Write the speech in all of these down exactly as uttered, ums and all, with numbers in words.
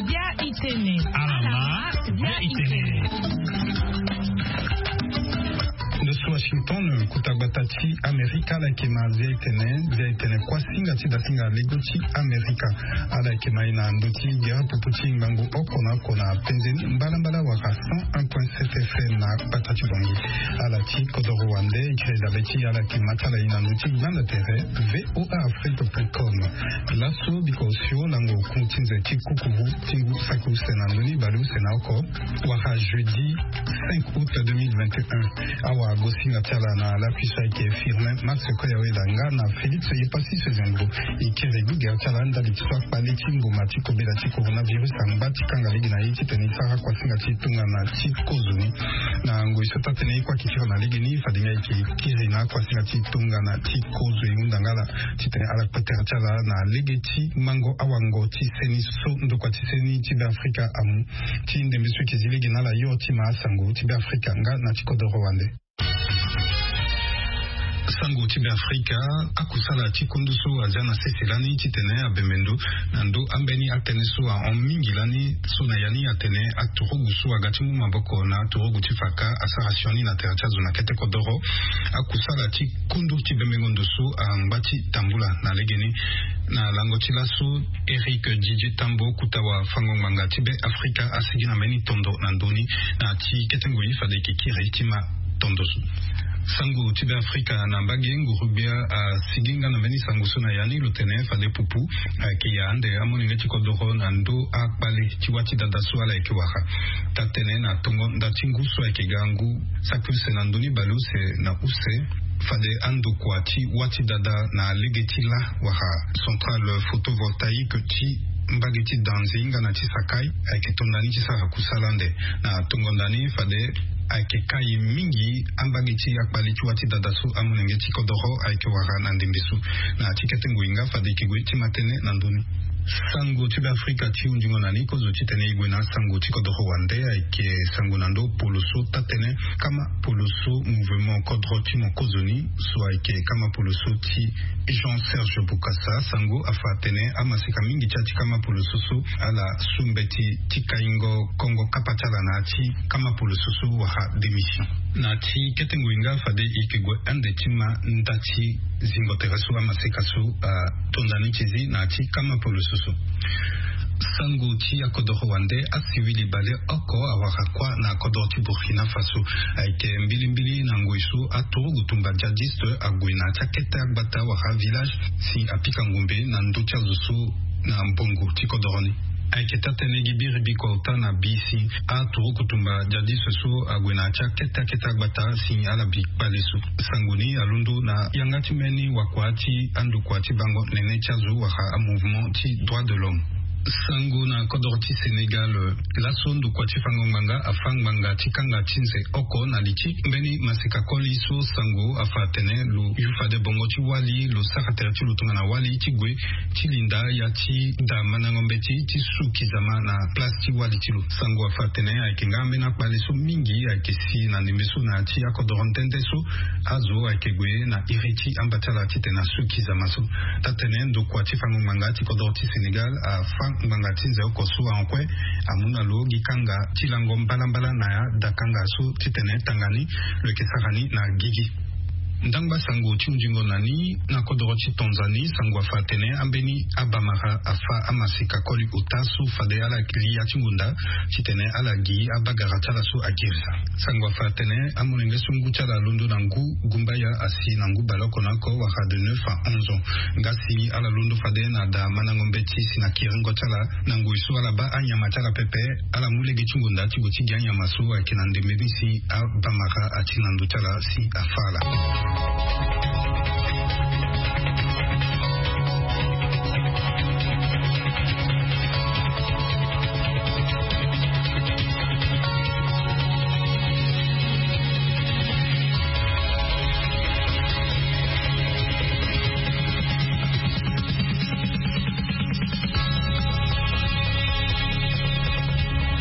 Bia itene. Alama, bia itene. Ndosu Washington, kota gbata ti Amerika, ala yeke ma Zia itene, zia itene kuâ singa ti dasinga lego ti Amerika. Ala yeke ma e na ndo ti gere pupu ti ngangu oko na oko na penze ni mbalambala wala cent un point sept F M na gbata ti Bangui. Ala ti kodoro wande, e kiri dabe ti ala yeke ma ti ala e na ndo ti gbanda tere V O A Afrique point com. Laso biko osio lango ku ti nze ti kukuru ti ngu saki use na ndoni baleuse na oko, wala jeudi cinq août deux mille vingt et un. Awa gosinga ti ala na lakui so ayeke Firmin Max Koyaweda nga na Félix Yepasi Sezendro. E kiri gi gere ti ala ndali ti so akpale ti mbuma ti kobela ti coronavirus angba ti kanga lege na ye titene e sara kuasinga ti tongana ti kozoni. Na ngoi so taa-tene e kue ayeke kiri na legeni, fade nga e yeke kiri na akuasinga ti tongana ti kozo e hunda nga ala titene ala kpe tere ti ala na lege ti mango awango ti seni so ndokua ti seni ti Beafrika amu. Ti ndembe so e yeke zi lege na ala yo ti ma asango ti Beafrika nga na ti kodoro wande. Sango ti Beafrika, akusala ti kundu so azia na sese lani titene abembe ndo na ndo ambeni atënë so ahon mingi lani, so na ya ni atene aturugu so aga ti mu maboko na aturugu ti faka asara sioni na tere ti azo na kete kodoro. Akusala ti kundu ti bembengo ndo so angba ti tambula na legeni. Na lango ti laso, Éric Didier Tambo, kota wafango-ngbanga ti Beafrika, asigi na mbeni tondo na ndö ni. Na ti kete ngoi fade e yeke kiri ti ma tondo so. Sango ti Beafrika, na mbage nguru-gbia asigi nga na mbeni sango so na ya ni, lo tene fade pupu ayeke ya ande amolenge ti kodoro na ndö akpale ti wâ ti dada so ala yeke wara. Taa-tene na tongo nda ti ngu so ayeke ga ngu saki use na ndoni baleuse na use, fade andokua ti wâ ti dada na lege ti la wala centrale photovoltaïque ti mbage ti Danzi nga na ti Sakai ayeke to nda ni ti sara kusala ande. Na tongo nda ni fade ayeke kai mingi ambage ti akpale ti wâ ti dada so amolenge ti kodoro ayeke wara na ndembe so. Na ti kete ngoi nga fade e yeke gue ti ma tënë na ndö ni. Sango ti Beafrika ti hundingo na ni kozo titene e gue na asango ti kodoro wande ayeke sango na ndö polo so taa-tene kama polo so mouvement kodro ti mo kozoni so ayeke kama polo so ti Jean Serge Bokassa. Sango afa atene amaseka mingi ti ya ti kama polo so so ala su mbeti ti kaingo kongo kapa ti ala na ya ti kama polo so so wala démission. Na ti kete ngoi nga fade e yeke gue ande ti ma nda ti zingo tere so amaseka so ato nda ni ti zi na ya ti kama polo so so. Sango ti akodoro wande, asiwili baleoko awara kuâ na kodoro ti Burkina Faso. Ayeke mbilimbili na ngoi so aturugu tumba djihadiste ague na ya ti akete agbata wala village si apika ngombe na ndö ti azo so na mbongo ti kodoro ni. Ayeke taa-tene gi biri biko ota na bi si aturuku tumba djihadiste so ague na ya ti akete akete agbata si ala bi kpale so. Sango ni alondo na yanga ti mbeni wakua ti andokua ti bango nene ti azo wala amouvement ti droit de l'homme. Sango na kodoro ti Sénégal, laso ndokua ti fango ngbanga afa ngbanga ti kanga ti nze oko na li ti mbeni maseka koli so sango afa atene lo yu fade bongo ti wali, lo sara tere ti lo tongana wali ti gue ti linda ya ti da mandango mbeti ti su kizama na place ti wali ti lo. Sango afa atene ayeke nga ambeni akpale so mingi ayeke si na ndembe so na ya ti akodoro nde nde so azo ayeke gue na iri ti amba ti ala titene asu kizama so. Taa-tene ndokua ti fango ngbanga ti kodoro ti Sénégal afa ngbanga ti nze oko so ahon kue amu na lo gi kanga ti lango mbalambala na ya da kanga so titene tanga ni lo yeke sara ni na gigi. Ndangba sango ti hundingo na ni, na kodoro ti Tanzanie, sango afa atene ambeni abamara afa amaseka koli ota so fade ala li ya ti ngunda titene ala gi abagara ti ala so agirisa. Sango afa atene amolenge so ngu ti ala alondo na ngu gumbaya asi na ngu baleoko na oko wala de neuf à onze ans. Nga si ala londo fade na da mandango mbeti si na kiringo ti ala na ngoi so ala baa anyama ti ala pepe, ala mu lege ti ngunda ti gue ti gi anyama so ayeke na ndembe ni si abamara ati na ndö ti ala si afa ala.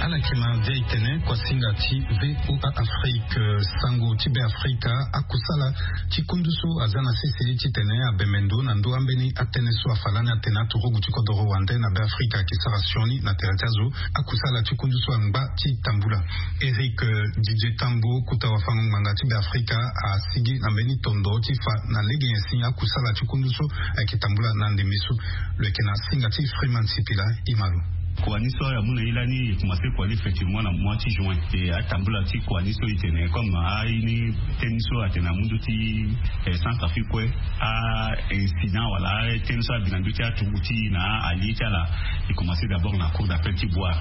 Ala Kena dia itene kuasinga ti VOA Afrique. Sango ti Be Afrika, akusala ti kundu so aza na sese titene abembe ndo na ndo ambeni atene so afa lani atene aturugu ti kodoro wande na Be Afrika ayeke sara sioni na tere ti azo. Akusala ti kundu so angba ti tambula. Eric Didier Tambo, kuta wafango ngbanga ti Be Afrika, asigi na mbeni tondo ti fa na lege nyen si akusala ti kundu so ayeke tambula na ndembe so. Lo yeke na singa ti Freeman Sipila. Imalo. Kua ni so ya mu na ye lani, e commencé kua ni effectivement na mois ti juin. E atambula ti kua ni so e tene comme aye ni teni so atene na mundu ti, eh, Centrafrique kue, a incident wala teni so abi na ndö ti aturugu ti na allié ti ala. E commencé d'abord na cour d'appel ti Bouar.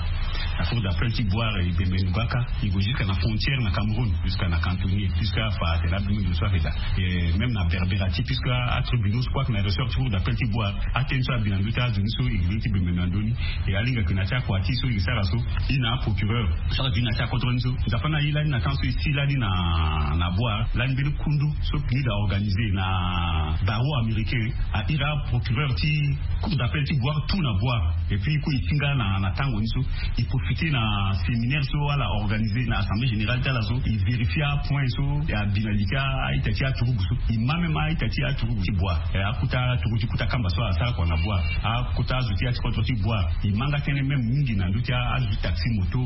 Na cour d'appel ti Bouar e bembe nduka ka, e gue jusqu'à na frontière na Cameroun, jusqu'à na Cantonnier, jusqu'à fa tene abembe ndo so ayeke daa. Eh, même na Berbera ti, puisque atribunaux so kue ayeke na ressort ti cour d'appel ti Bouar, ateni so abi na ndö ti azo ni so e gi ti bembe na ndö ni. E alinga yeke na ti akua ti so e sara so, e na aprocureur so ala duti na ti akodro ni so. Nzapa na ye lani na temps so e si lani na, na Bouar lani, mbeni kundu so PNUD a organisé na barreau américain a iri aprocureur ti cour d'appel ti Bouar tout na Bouar. Et puis e kue e ti nga na, na tango ni so e profité na séminaire so ala organisé na assemblée générale ti ala so, e vérifié apoint so e abi na li ti a-ita ti aturugu so. E ma même a-ita ti aturugu ti Bouar. Eh, akuta aturugu ti kuta kamba so asara kua na Bouar, akuta azo ti ya ti kodro ti Bouar. E ma nga tënë même mingi na ndö ti azo ti taxi moto,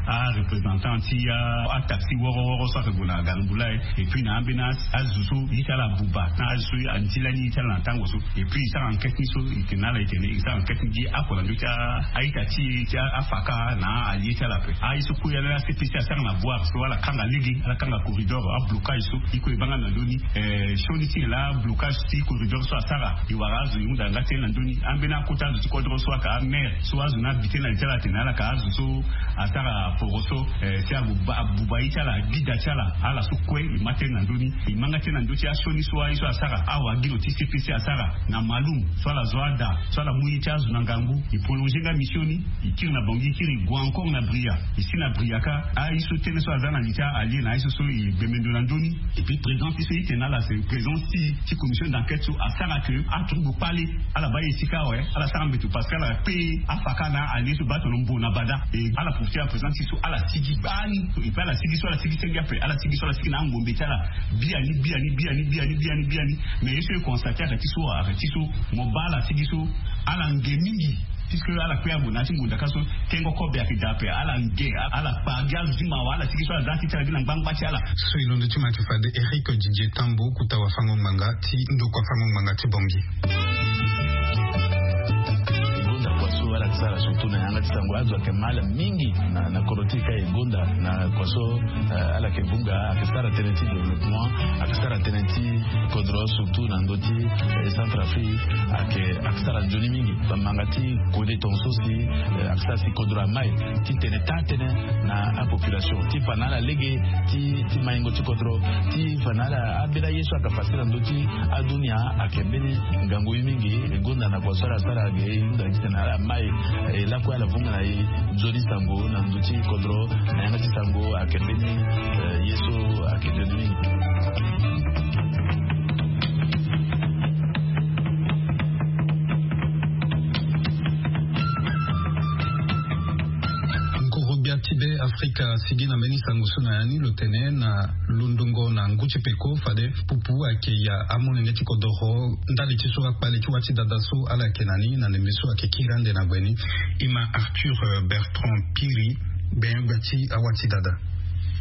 areprésentant ti a, ataxi woro woro so ayeke gue na Gangula. Et puis na ambeni a, azo so ye ti ala abuba na azo so anti lani ye ti ala na tango so. Et puis e sara enquête ni so, e tene na ala, e tene e sara enquête ni gi akua na ndö ti a, a-ita ti e ti a, afaka na allié ti ala ape. Aye so kue ya na a-CPC asara na Bouar so, ala kanga lege, ala kanga corridor, ablocage so e kue e baa nga na ndö ni. Eh, sioni ti nyen laa blocage ti corridor so asara? E wara azo e hunda nga tënë na ndö ni. Ambeni akota azo ti kodro so ayeke amaire so azo ni abi tënë na li ti ala atene ala yeke azo so asara poroso, eh, si abuba, abuba ye ti ala, agbida ti ala. Ala so kue e ma tënë na ndö ni. E ma nga tënë na ndö ti asioni so aye so asara, awagilo ti CPC asara na Maloum so ala zo ada, so ala mu ye ti azo na ngangu. E prolongé nga mission ni, e kiri na Bangui, e kiri e gue encore na Bria. E si na Bria ka, aye so tënë so aza na li ti a-allié na aye so so e bembe ndo na ndö ni. Et puis présence ti so e tene na ala, c'est présence ti, ti commission d'enquête so asara que aturugu kpale ala baa ye ti ka awe, ala sara mbeto parce que ala kpe afaka na allié so baa tono mbo na bada. Et ala profité na présence ti so ala sigi gbani. Et puis ala sigi so ala sigi senge ape, ala sigi so ala sigi na angombe ti ala. Biani, biani, biani, biani, biani, biani. Mais ye so e constaté ayeke ti so, ayeke ti so mo baa ala sigi so ala nge mingi. Puisque ala kpe ague na ya ti ngonda ka so, tengo kobe ayeke daa ape, ala nge, ala kpa gi azo ti mawa, ala sigi so ala za ti ti ala gi na ngbangba ti ala. So e londo ti ma ti fade Eric Didier Tambo, kuta wafango ngbanga ti ndokua fango ngbanga ti Bangui. E gonda kua so ala yeke sara surtout na yanga ti sango, azo ayeke mal mingi na, na kodro ti e ka e gonda na kua so, eh, ala yeke vunga, ayeke sara tënë ti développement, ayeke sara tënë ti kodro, surtout na ndö ti, eh, Centrafrique, ayeke, ayeke sara nzoni mingi. Bamanga ti kode tongaso si, eh, ayeke sara si kodro amai ti tene taa tënë na apopulation, ti fa na ala lege ti, ti maingo ti kodro, ti fa na ala ambeni aye so ayeke fa si na ndö ti adunia. Ayeke mbeni ngangu ye mingi. E gonda na kua so ala sara ge, e hunda gi titene ala mai, e lakue ala vunga na e nzoni sango na ndö ti kodro na yanga ti sango. Ayeke mbeni, eh, ye so ayeke nzoni mingi. Ngoro-gbia ti Be Afrika asigi na mbeni sango so na ya ni, lo tene na londongo na ngu ti peko fade pupu ayeke ya amolenge ti kodoro ndali ti so akpale ti wa ti dada so ala yeke na ni na ndembe so ayeke kiri ande na gue ni. E ma Arthur, euh, Bertrand Piri, gbenyo-gbia ti awa ti dada.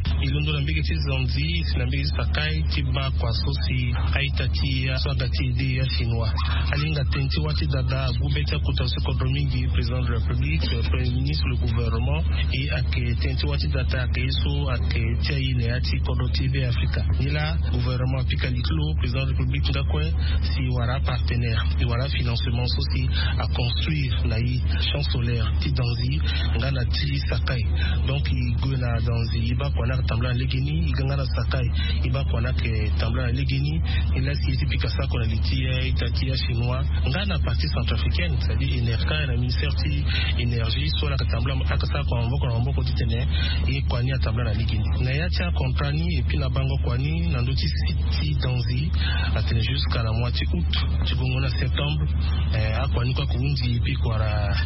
E londo na mbege ti Zanzi, si na mbege ti Sakai, ti baa kua so si a-ita ti e so aga ti ede ya chinois. Alinga tënë ti wa ti dada agu be ti akota so kodro mingi, président de la République, euh, premier ministre, le gouvernement, e ayeke tënë ti wa ti dada ayeke ye so ayeke ti aye na ya ti kodro ti Be Afrika. Nilaa gouvernement apika li ti lo, président de la République nga kue, si e wara apartenaire, e wara financement so si aconstruire na e champ solaire ti Danzi nga na ti Sakai. Donc e gue na Danzi, e baa kua ni ayeke tambula na legeni, e ga nga na Sakai, e baa kua ni ayeke tambula na legeni. E laa si e ti pika sako na li ti, eh, ita ti achinois nga na partie centrafricaine, c'est-à-dire enerka na ministère ti énergie so ala yeke tambula, ala yeke sara kua na maboko na maboko titene e kua ni atambula na legeni na ya ti acontra ni. Et puis na bango kua ni na ndö ti site ti Danzi, atene jusqu'à na mois ti août ti gongo na septembre, eh, akua ni kue ayeke hunzi. Et puis kua na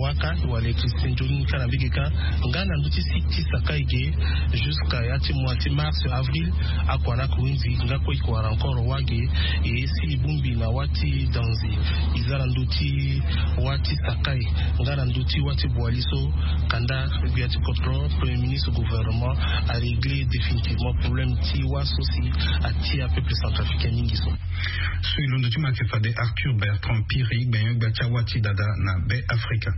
waka wala électricité nzoni ni kâ na mbege kâ. Nga na ndö ti site ti Sakai ge, jusqu'à ya ti mois ti mars, avril, akua ni ayeke hunzi. Nga kue e kua na encore wage. E si e bongbi na wâ ti Danzi, e za na ndö ti wâ ti Sakai nga na ndö ti wâ ti Boali so, kanda gbia ti kodro, premier ministre, gouvernement a régler définitivement problème ti wâ so si atia peuple centrafricain mingi so. So e londo ti mo ayeke fade Arthur Bertrand Piri, gbenyo-gbia ti awâ ti dada na Be Afrika.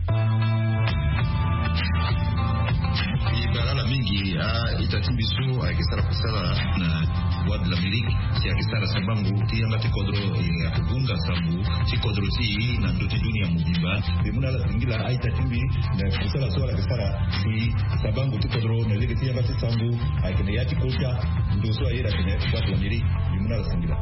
E bara ala mingi a-ita ti mbi so ayeke sara kusala na Voix de l'Amérique, si ayeke sara sabango ti yanga ti kodro, e, ayeke gonga sango ti kodro ti e na ndö ti dunia mobimba. Mbi mu na ala singila a-ita ti mbi na kusala so ala yeke sara si sabango ti kodro na lege ti yanga ti sango ayeke na ya ti kota ndo so aye na tene Voix de l'Amérique. Mbi mu na ala singila.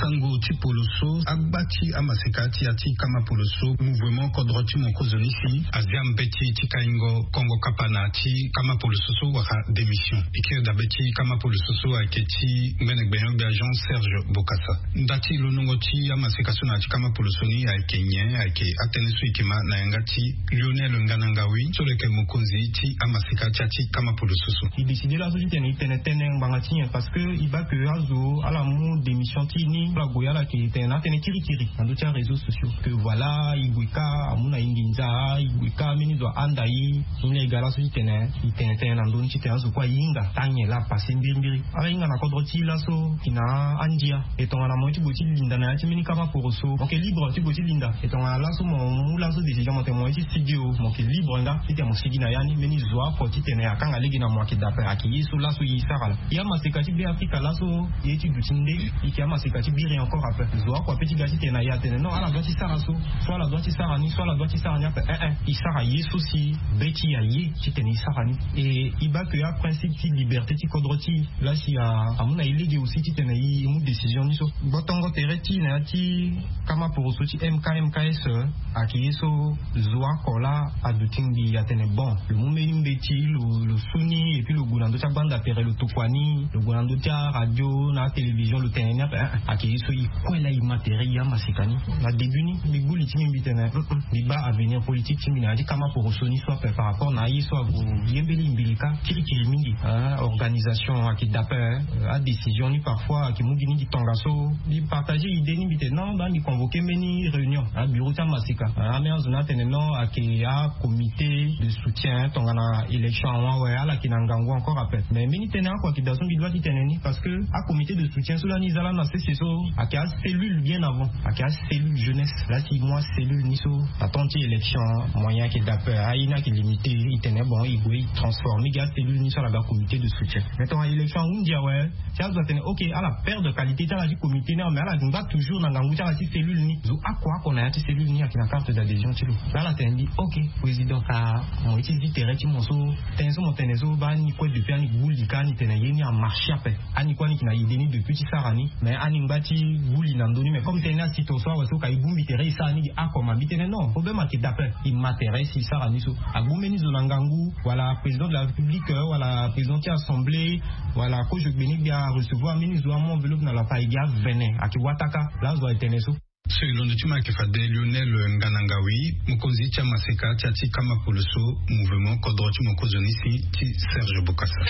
Sango ti poloso, agba ti amaseka ti ya ti kama poloso, mouvement kodro ti mokonzo ni si azia mbeti ti kaingo kongo kapa na ti kama poloso so wala démission. E kiri dabe ti kama poloso so ayeke ti ngbene gbenyo-gbia Jean Serge Bokassa. Nda ti londongo ti amaseka so na ya ti kama poloso ni ayeke nyen? Ayeke atënë so e yeke ma na yanga ti Lionel Nganangawi so lo yeke mokonzi ti amaseka ti ya ti kama poloso so. E décide laso titene e tene tënë ngbanga ti nyen? Parce que e baa ke azo ala mu démission ti e ni, ala gue ala yeke tene na atënë kirikiri na ndö ti aréseau sociaux que voilà, e gue kâ amu na e nginza, e gue kâ mbeni zo ahanda e. Ni laa e ga laso titene e tene tënë na ndö ni titene azo kue ahinga taa nyen laa apasse mbirimbiri. Ala hinga na kodro ti e laso, e na andia. E tongana mo ye ti gue ti linda na ya ti mbeni kama poroso, mo yeke libre ti gue ti linda. E tongana laso mo mu laso décision, mo tene mo ye ti sigi o, mo yeke libre nga titene mo sigi na ya ni. Mbeni zo oko titene akanga lege na mo ayeke dape, ayeke ye so laso e sara laa. E amaseka ti Be Afrika laso, e ye ti duti nde, e yeke amaseka ti biri encore ape. Zo oko ape ti ga titene na e atene non, ala doit ti sara so, so ala doit ti sara ni, so ala doit ti sara ni ape. Eh eh, e sara ye so si be ti e aye titene e sara ni. E e baa ke aprincipe ti liberté ti kodro ti e laa si a, amu na e lege aussi titene e mu décision ni so. Gbotongo tere ti e na ya ti kama poroso ti M K M K S, eh, ayeke ye so zo oko laa aduti ngbii atene bon, lo mu mbeni mbeti, lo, lo su ni, et puis lo gue na ndö ti agbanda tere, lo tokua ni, lo gue na ndö ti aradio na atélévision, lo tene ni ape. Eh eh, ayeke ye so e kue laa e ma tere, e amaseka ni. Na début ni mbi gbu li ti mbi, mbi tene, mm, mm, mbi baa avenir politique ti mbi na ya ti kama poroso ni so ape par rapport na aye so ague ye mbeni mbilika kirikiri mingi. Ah, organisation ayeke dape, eh, adécision ni parfois ayeke mu gi ni gi tongaso. Mbi partager idée ni, mbi tene non, baa mbi convoquer mbeni réunion na bureau ti amaseka. Ah, ambeni azo ni atene non, ayeke acomité de soutien tongana élection awe, ala yeke na ngangu encore ape. Mais mbeni tënë oko ayeke daa so mbi doit ti tene ni, parce que acomité de soutien so lani e za lani na sese so ayeke acellule bien avant, ayeke acellule jeunesse. Laa si e mu acellule ni so, na temps ti élection, moyen ayeke dape, aye ni ayeke limité. E tene bon, e gue e transformer gi acellule ni so ala ga comité de soutien. Mais tongana élection ahunzi awe, si azo atene ok, ala perdre qualité ti ala ti comité ni awe, mais ala ngba toujours na ngangu ti ala ti cellule ni. Zo oko oko na ya ti cellule ni ayeke na carte d'adhésion ti lo. Laa ala tene ni ok, président, ah, mo ye ti zi tere ti mo so, tënë so mo tene so, baa ni kue depuis ani gbu li kâ, ani tene ye ni amarché ape. Ani kue ani yeke na idée ni depuis ti sara ni, mais ani ngba ti gbu li na ndö ni. Mais comme tënë ni asi to so awe so, ka e bongbi tere e sara ni gi oko ma? Mbi tene non, problème ayeke dape. E ma tere si e sara ni so. Agbu mbeni zo na ngangu, wala président de la République, euh, wala président ti assemblée, wala kozo gbene gbia arecevoir mbeni zo, amu enveloppe na lo ape, e gi avene, ayeke wataka. Laa zo aye tene so. So e londo ti mo ayeke fade Lionel Nganangawi, mokonzi ti amaseka ti ya ti kama poloso, mouvement kodro ti mokonzo ni si ti Serge Bokassa.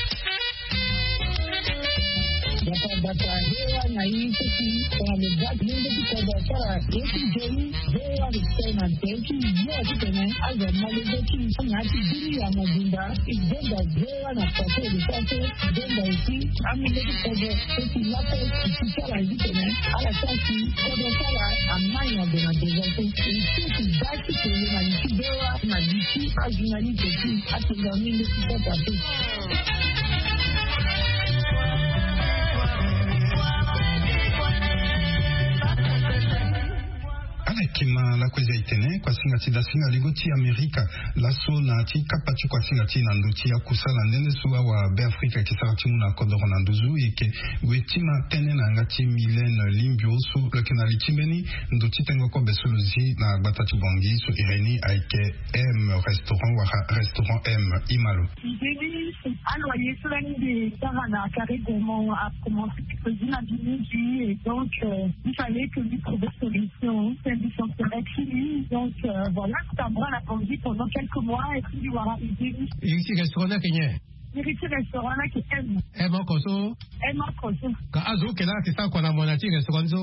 Bata bata, V O A na ye so si tongana lo baa ti lenge ti kodro asara ye ti nzoni, V O A respect na tere ti yo titene azo ama lenge ti na ya ti biri ya mobimba. E zonza V O A na façon de faire so, e zonza aussi amolenge ti kodro so si lape e si ti ala ye titene ala sara si kodro ti ala ama nyon gue na devant so. E si e si baa ti tene na li ti V O A na li ti ajournaliste aussi. Atonga mingi ti kota te. Ala Kima lakue eza etene kuasinga ti dasinga ligo ti amerika laso na ti kapa ti kuasinga ti na ndo ti akusala ndende so awa be afrika eke sara ti mu na kodoro na nduzu eke. We ti ma tënë na yanga ti milene limbio so lo yeke na li ti mbeni ndo ti tengo kobe so lo zi na gbata ti bongi so irénie ayeke m restaurant wala restaurant m imalo. Mbeni aloyer so lani mbi sara na carré gourmand a commencé ti pezi na mbi mingi et donc il fallait que mbi trouver solution. Mbi sentire ti mbi donc voilà. Kota mbi wara na bongi pendant quelques mois et puis mbi wara idée ni. Iri ti restaurant ni ayeke nyen? Iri ti restaurant ni ayeke m. M oko so? M oko so. Ka azo oke laa ayeke sara kua na mo na ti restaurant ni so?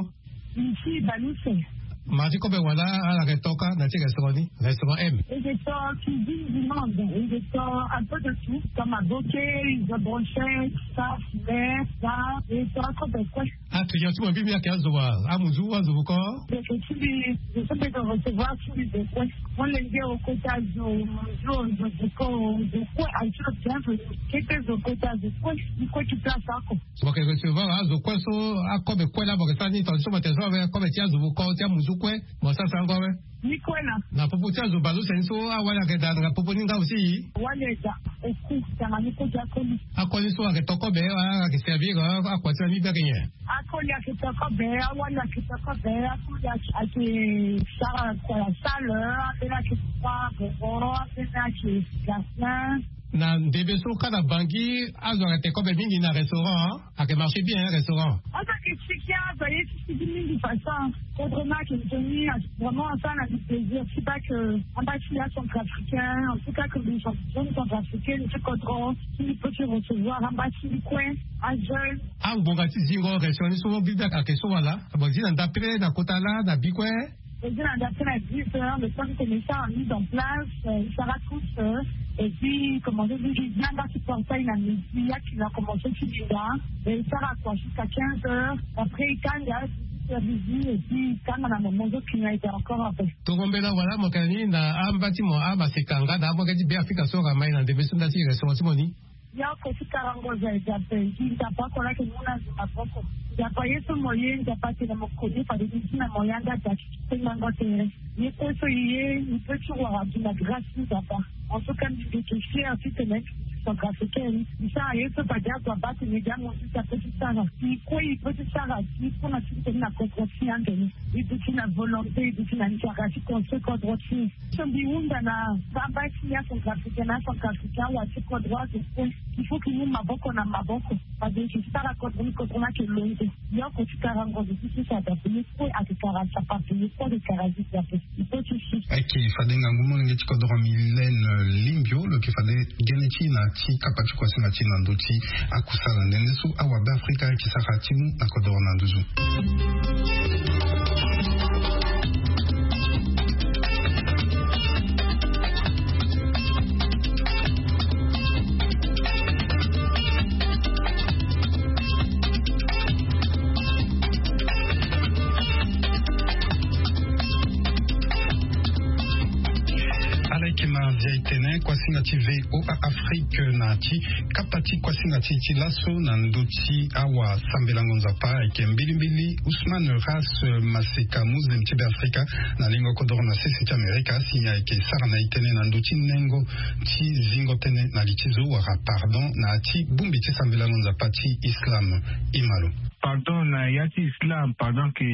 Mbi ti baluse. Ma ti kobe wala ala yeke to kâ na ti restaurant ni, restaurant m? E yeke to cuisine du monde, e yeke to un peu de tout. To maboke, izo brochette, sa filet, sa e to akobe kue. Aclient ti mo mbi mbi ayeke azo wa? Amuzu azo voko? Yeke ti mbi zo so mbi yeke recevoir ti mbi zo kue. Molenge o kota zo muzu o zo voko o zo kue azo ti lo bienvenu. Kete zo kota zo kue. Mbi kue ti place oko. Mo yeke recevoir azo kue so akobe kue laa mo yeke sara ni tonga so mo yeke recevoir akobe ti azo voko ti amuzu kue. Mo sara sarango awe. Ni kue na. Na popo ti azo baleuse ni so awali ayeke daa na popo ni nga aussi. Wali eda oku tanga ni kue ti akoli. Akoli so ayeke to kobe wala ayeke servir akua ti na ni mbi ayeke nyen? Akoli ayeke to kobe, awali ayeke to kobe, akoli ayeke sara kua ya salle, ambeni ayeke kua boboro, ambeni ayeke gardien. Na ndembe so kâ na bangi azo ayeke te kobe mingi na restaurant. Ayeke marché bien restaurant. Azo ayeke siki azo aye ti siki mingi façon. Kodro ni ayeke nzoni. Vraiment asara na mbi plaisir ti baa ke amba ti ya centrafricain en tout cas ke mbi jeune centrafricaine ti kodro ti mbi peut ti recevoir amba ti mbi kue. Ajeune. Angbonga ti zingo restaurant ni so bibe ayeke so wala? Bon zi na ndapre na kota laa na bi kue. Ezi na ndapre na dix heures le temps que mbi sara mise en place. Sara tous et puis commence ti zi anga ti portail na midi ya ti na commence ti linga. E sara kua jusqu'à quinze heures. Après e kanga dix heures midi et puis e kanga na moment so client ete encore ape. Tongo mbela wala mo yeke na ni na amba ti mo amaseka nga na amolenge ti be afrika so aga mai na ndembe so nda ti restaurant ti mo ni. Yoko ti karango za eza pe gi nzapa oko lake mu na zi maboko. Nzapa ye so mo ye nzapa atene mo koni fade ni ti na mo yanga da ti sengango tere. Ye kue so ye ye ni pe ti wara gi na grâce ti nzapa. En tout cas mbi yeke fier ti tene centrafricaine mbi sara ye so fade azo abaa tene gi amosi ti ape ti sara si kue i pe ti sara si kue na ti tene na kodro ti ande ni. I duti na volonté i duti na nzara ti construire kodro ti. So mbi hunda na amba ti ya centrafricaine na centrafricaine awa ti kodro azo kue. Il faut ki mu maboko na maboko. Fade ki sara kodro ni kodro ni ayeke longo. Yoko ti kara ngozo ti sisa da pele kue ayeke kara sapa pele kue ayeke kara zi da pe. Il faut ti si. Ayeke fade ngangu molenge ti kodro milene limbio lo yeke fade gene ti na ti kapa ti kuasinga ti na ndo ti akusala ndende so awa be afrika ayeke sara ti mu na kodro na nduzu. Ala yeke ma ndia etene kuasinga ti voa afrique na ti kapa ti kuasinga ti ti laso na ndö ti awa sambelango nzapa ayeke mbilimbili ousmane ras maseka muslim ti be afrika na lingo kodoro na sese ti amerika si ayeke sara na etene na ndö ti nengo ti zingo tënë na li ti zo wala pardon na ya ti bongbi ti sambelango nzapa ti islam. Imalo. Pardon na ya ti islam pardon ke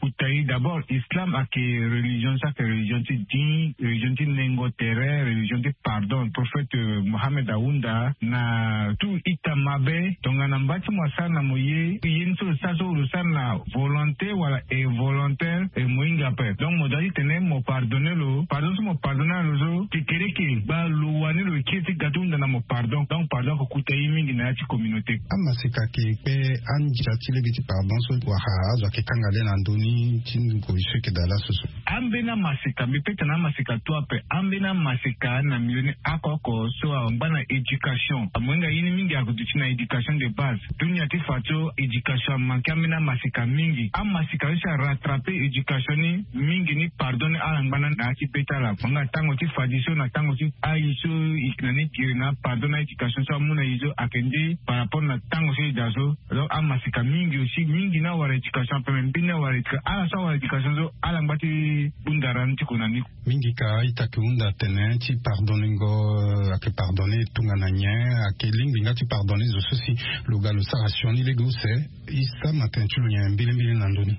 kuta ye d'abord islam ayeke religion so ayeke religion ti din religion ti nengo tere religion ti pardon prophète mohammed ahunda na tout ita mabe tongana mba ti mo asara na mo ye ye ni so lo sara so lo sara na volonté wala involontaire e mo hinga ape donc mo doit ti tene mo pardonner lo pardon so mo pardonner lo so kekereke gba lo wani lo kiri ti ga ti hunda na mo pardon donc pardon ako kuta ye mingi na ya ti communauté. Amaseka ke kpe andia ti lege ti pardon so wala azo ayeke kanga le na ndö ni ti ngoi so yeke daa laso so. Ambeni amaseka mbi peta na amaseka tu ape ambeni amaseka na milioni oko oko so angba na éducation amohinga ye ni mingi ako duti na éducation de base. Dunia ti fa so éducation amanke ambeni amaseka mingi amaseka so si arattrape éducation ni mingi ni pardon ni ala ngba na na ya ti be ti ala amohinga tango ti fadi so na tango ti ayi so ike na ni giri na pardon na éducation so amu na ye so ake nde par rapport na tango so e daa so. Donc amaseka Mingi aussi mingi ni awara éducation ape me mbeni awara éducation ala so awara éducation so ala ngba ti hunda ra ni ti ko na ni. Mingi ka a-ita ayeke hunda atene ti pardonner ngo ayeke pardonner tongana nyen? Ayeke lingbi nga ti pardonner zo so si lo ga lo sara sioni lege use. E sama tene ti lo nyen mbilimbili na ndö ni?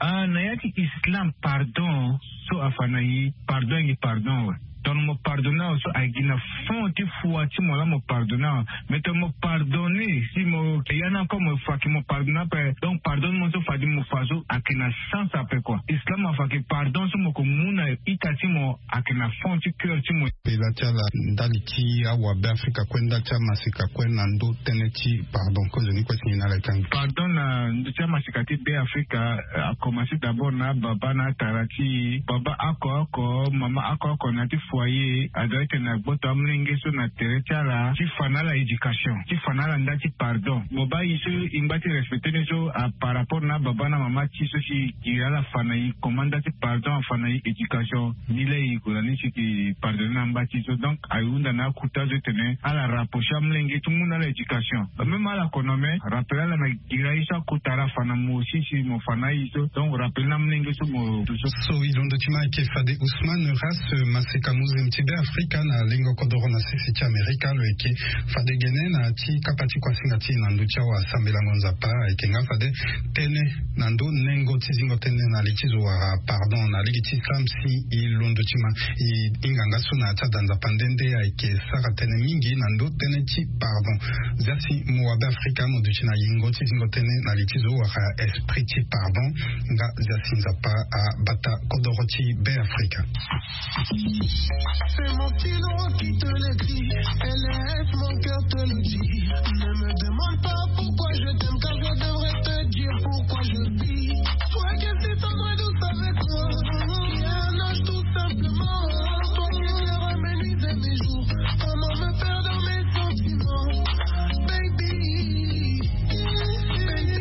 Ah na ya ti islam pardon so afa na e pardon ayeke pardon awe. Tongana mo pardonner awe so ayeke gi na fond ti foi ti mo laa mo pardonner awe. Mais tongana mo pardonner si mo ya ni encore mo fa ke mo pardonner ape. Donc pardon ni mo so fadi mo fa so ayeke na sens ape koi. Islam afa ke pardon so mo ko mu na ita ti mo ayeke na fond ti coeur ti mo. Pela ti ala ndali ti awabe afrika kue ndali ti amaseka kue na ndö tënë ti pardon kozoni kue si nyen na ala e kangbi? Pardon na ndö ti amaseka ti be afrika. Akomanse d'abord na ababa na atara ti e baba oko oko mama oko oko na ya ti foyer adoit ete na gboto amolenge so na tere ti ala ti fa na ala éducation ti fa na ala nda ti pardon. Mo baa e so e ngba ti respecter ni so par rapport na ababa na mama ti e so si e giri ala fa na e comment nda ti pardon afa na e éducation ni laa e gue na ni si e ke pardonner na ngba ti e so donc aye hunda na akuta so etene ala rapprocher amolenge ti mu na ala éducation. Même ala kono me rappel ala na gira ye so akota ala fa na mo aussi si mo fa na aye so donc rappel na mlenge so mo. So e londo ti ma ayeke fade ousmane ras maseka mozem ti be afrika na lengo kodoro na sese ti amerika lo yeke fade gene na ti kapa ti kuasinga ti e na ndö ti awa sambelango nzapa ayeke nga fade tënë na ndö nengo ti zingo tënë na li ti zo wala pardon na lege ti islam si e londo ti ma e hinga nga so na ya ti ada nzapa nde nde ayeke sara tënë mingi na ndö tënë ti pardon. Zia si mo wa be afrika mo duti na yingo ti zingo tënë na li ti zo wala esprit ti pardon. Nga zia si nzapa abata kodoro ti be afrika. C'est mon stylo qui te l'écrit et laisse mon cœur te le dire. Ne me demande pas pourquoi je t'aime car je devrais te dire pourquoi je vis. Toi qui es si tendre et douce avec moi, qui est un ange tout simplement. Toi qui éclaire mes nuits et mes jours, comment me perdre dans mes sentiments? Baby, baby.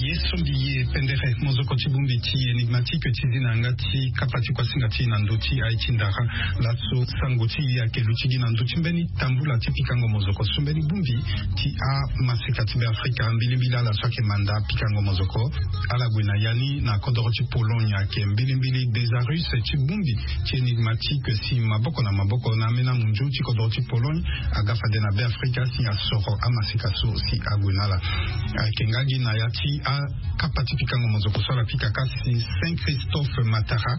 Ye sombi ye pendere mozoko ti bongbi ti énigmatique ti zi na yanga ti kapa ti kuasinga ti e na ndö ti aye ti ndara. Laso sango ti e ayeke luti gi na ndö ti mbeni tambula ti pikango mozoko so mbeni bongbi ti amaseka ti be afrika mbilimbili ala so ayeke manda pikango mozoko. Ala gue na ya ni na kodoro ti pologne ayeke mbilimbili desarus ti bongbi ti énigmatique si maboko na maboko na ambeni amunzu ti kodoro ti pologne aga fade na be afrika si asoro amaseka so si ague na ala. Ayeke nga gi na ya ti akapa ti pikango mozoko so ala pika ka si saint christophe matara.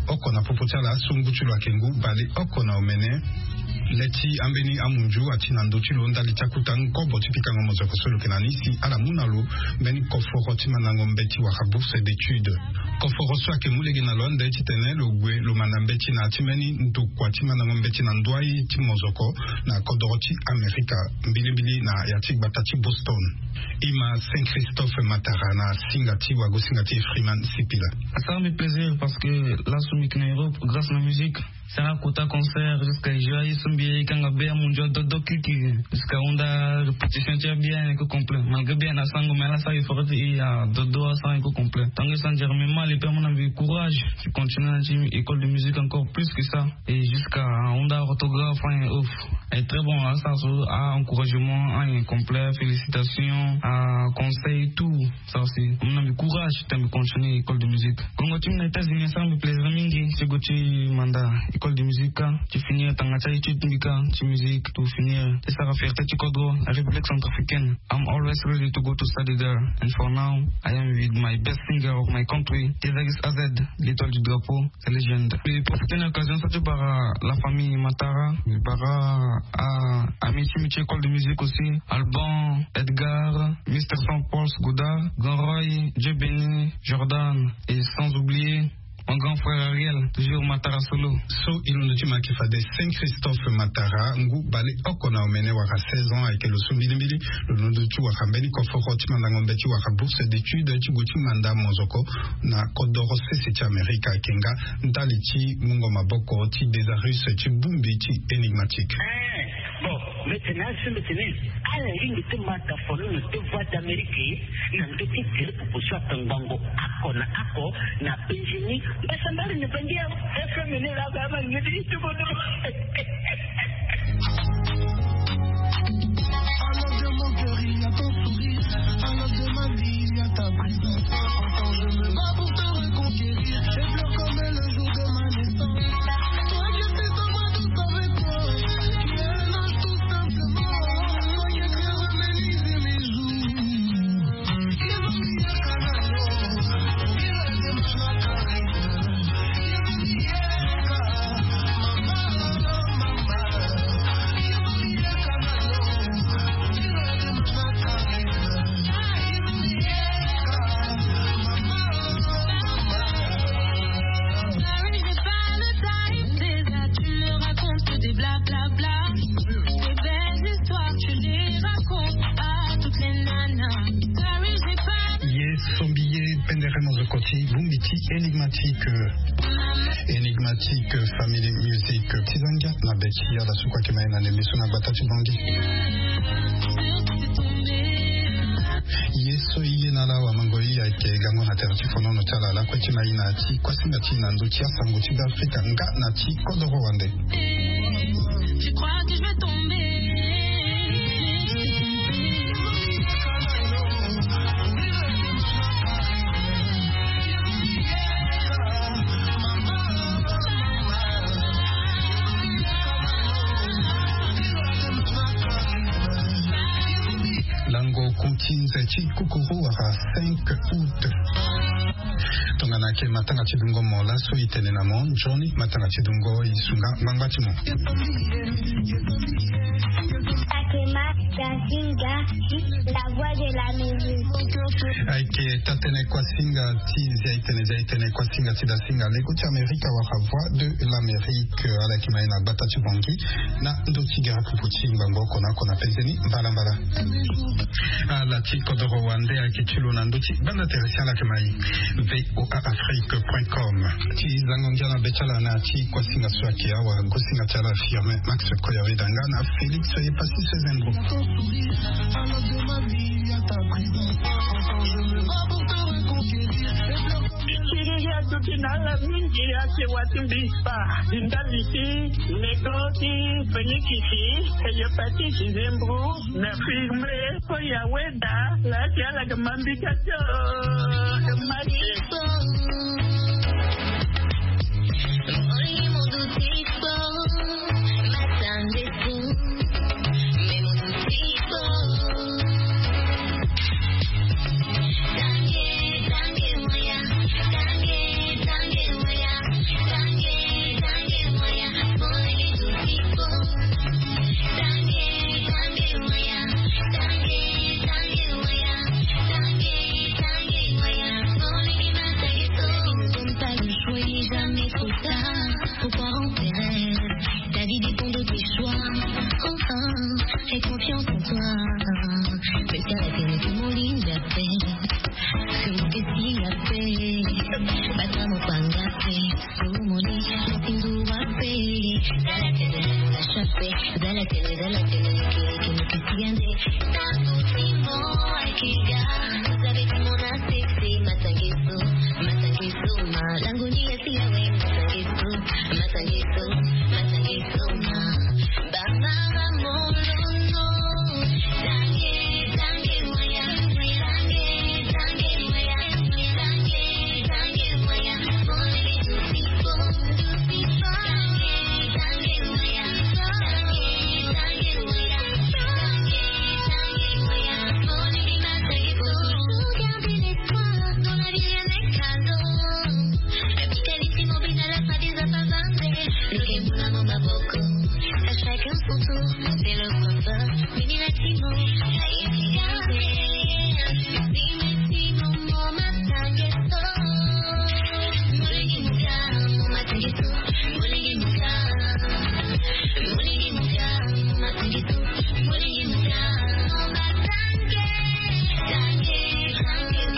Oko na popo ti ala so ngu ti lo ayeke ngu bale oko na omene. Le ti ambeni amunzu ati na ndö ti lo ndali ti akuta nkobo ti pikango mozoko so lo yeke na ni si ala mu na lo mbeni koforo ti mandango mbeti wala bourse d'étude. Koforo so ayeke mu lege na lo ande titene lo gue lo manda mbeti na ya ti mbeni ndokua ti mandango mbeti na ndoi ti mozoko na kodoro ti amerika mbilimbili na ya ti gbata ti boston. Ima saint christophe matara na singa ti wago singa ti efriman sipila. Asara mbi plaisir parce que laso mbi yeke na europe grâce na musique. Sara kota concert jusqu'à joie ye so mbi ye kanga be amunzu adodo kiki jusqu'à hunda répétition ti abien eke complet malgré bien na sango mais ala sara effort ti e adodo asara eke complet. Tango e sara nzere mbi mal et puis amona mbi courage ti continuer na ti école de musique encore plus que ça. Et jusqu'à hunda orthographe hein ouf. Et très bon asara so a encouragement hein complet félicitation à conseil tout. Sara si amona mbi courage ti mbi continuer école de musique. Kongo ti mbi na états-unis asara mbi plaisir mingi ti go ti manda école de musique ka ti finir tanga ti aétude ti mbi ka ti musique to finir ti sara fierté ti kodro. La république centrafricaine, I'm always ready to go to study there. And for now I am with my best singer of my country, Tezaris Azed, l'étoile du drapeau. Sa légende. Mbi profiter na occasion so ti bara la famille matara, mbi bara ami ti mbi ti école de musique aussi, alban, edgar, mister saint paul, sgoudard, grand roy, dieu béni, jordan, et sans oublier mon grand frère ariel, toujours matara solo. So e londo ti ma ayeke fade saint christophe matara ngu baleoko na omene wara seize ans ayeke lo so mbilimbili lo londo ti wara mbeni koforo ti mandango mbe ti wara bourse d'étude ti gue ti manda mozoko na kodoro sese ti amerika ayeke nga ndali ti mungo maboko ti desarus ti bongbi ti énigmatique. Bon, mete na asu mete ni ala ringi ti mata fono na te voix d'amérique na nge ti gere popo so atangbango ako na ako na benjini mbasambari na bangi ya fmn la ba ma nge ti tubo tubo. Alors de mon cœur il y a ton sourire. Alors de Paris, j'ai pas le time, déjà tu me racontes que des blablabla. Tes belles histoires, tu les racontes à toutes les nanas. Paris, j'ai pas le... Ye sombi ye pendere mo zo koti, bongbi ti énigmatique. Énigmatique, family music. Ti zangia na be ti ala so kue ayeke ma ye na ndembe so na gbata ti Bangui. Ye so i ye na ala wamango i ayeke gango na tere ti fonono ti ala lakue ti na i na ti kuasinga ti i na ndö ti asango ti Beafrika nga na ti kodoro wande. Tu crois que je vais tomber? Lango ku ti nze ti kukuru wala cinq août. Tongana ayeke matanga ti dungo mo laso e tene na mo nzoni matanga ti dungo e sunga ngbangba ti mo. Akema Dasinga, la voix de l'Amérique. Ayeke taa-tënë kuasinga ti Zia-e-tene, Zia-e-tene kuasinga ti Dasinga, lego ti Amerika wala voix de l'Amérique. Ala yeke ma ye na gbata ti Bangui na ndö ti gere pupu ti ngbangbo oko na oko na penzeni mbalambala. Ala ti kodoro wande ayeke ti lo na ndö ti banda tere si ala yeke ma ye. V O A Afrique point com. Ti zango ngia na be ti ala na ti kuasinga so ayeke awa, gosinga ti ala Firmin Max Koyaweda nga na Félix Epassis Sezembro. Siriri atuti na ala mingi ake wati mbi kpa. Di ndali ti lego ti fenikisi, eyepatisi, nzembro, na Firmin Koyaweda, laa ti ala ga ma mbi ka tio. Pourquoi on perd? Ta vie dépend de tes choix. Enfin, aie confiance en toi. Fais ça la télé, tout mon ligne d'appel. Sur mon petit appel. Bata mon panga. Somoni, mosindu wa pe. Zala tene, zala chape. Zala tene, zala tene, niki, niki, niki, siande. Tantu timo, akiga. Vous avez tout mon affecté, matangeso, matangeso, ma. Langoni ya siya we, matangeso, matangeso, matangeso, ma. Ba mama molono. Tange, tange, moya, tange, tange, moya, tange, tange, moya.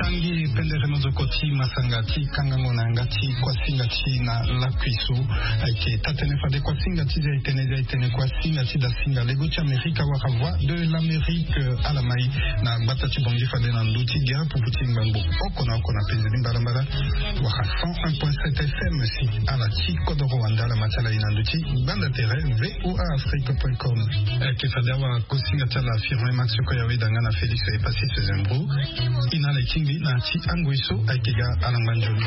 Tangi pendere mo zo koti ma sanga ti kangango na yanga ti kuasinga ti na lakui so. Ayeke taa-tënë fade kuasinga ti zia etene zia etene kuasinga ti dasinga lego ti amerika wala voix de l'amérique ala mai na gbata ti bongi fade na ndö ti gere pupu ti ngbangbo oko na oko na penzeni mbalambala wala cent un point sept fm si ala ti kodoro wande ala ma ti ala ye na ndö ti gbanda tere voa afrique point com. Ayeke fade awa kosinga ti ala firme max oko ya weda nga na félix epassis zembro. Ina ala etingbi na ti angoi so ayeke ga alangba nzoni.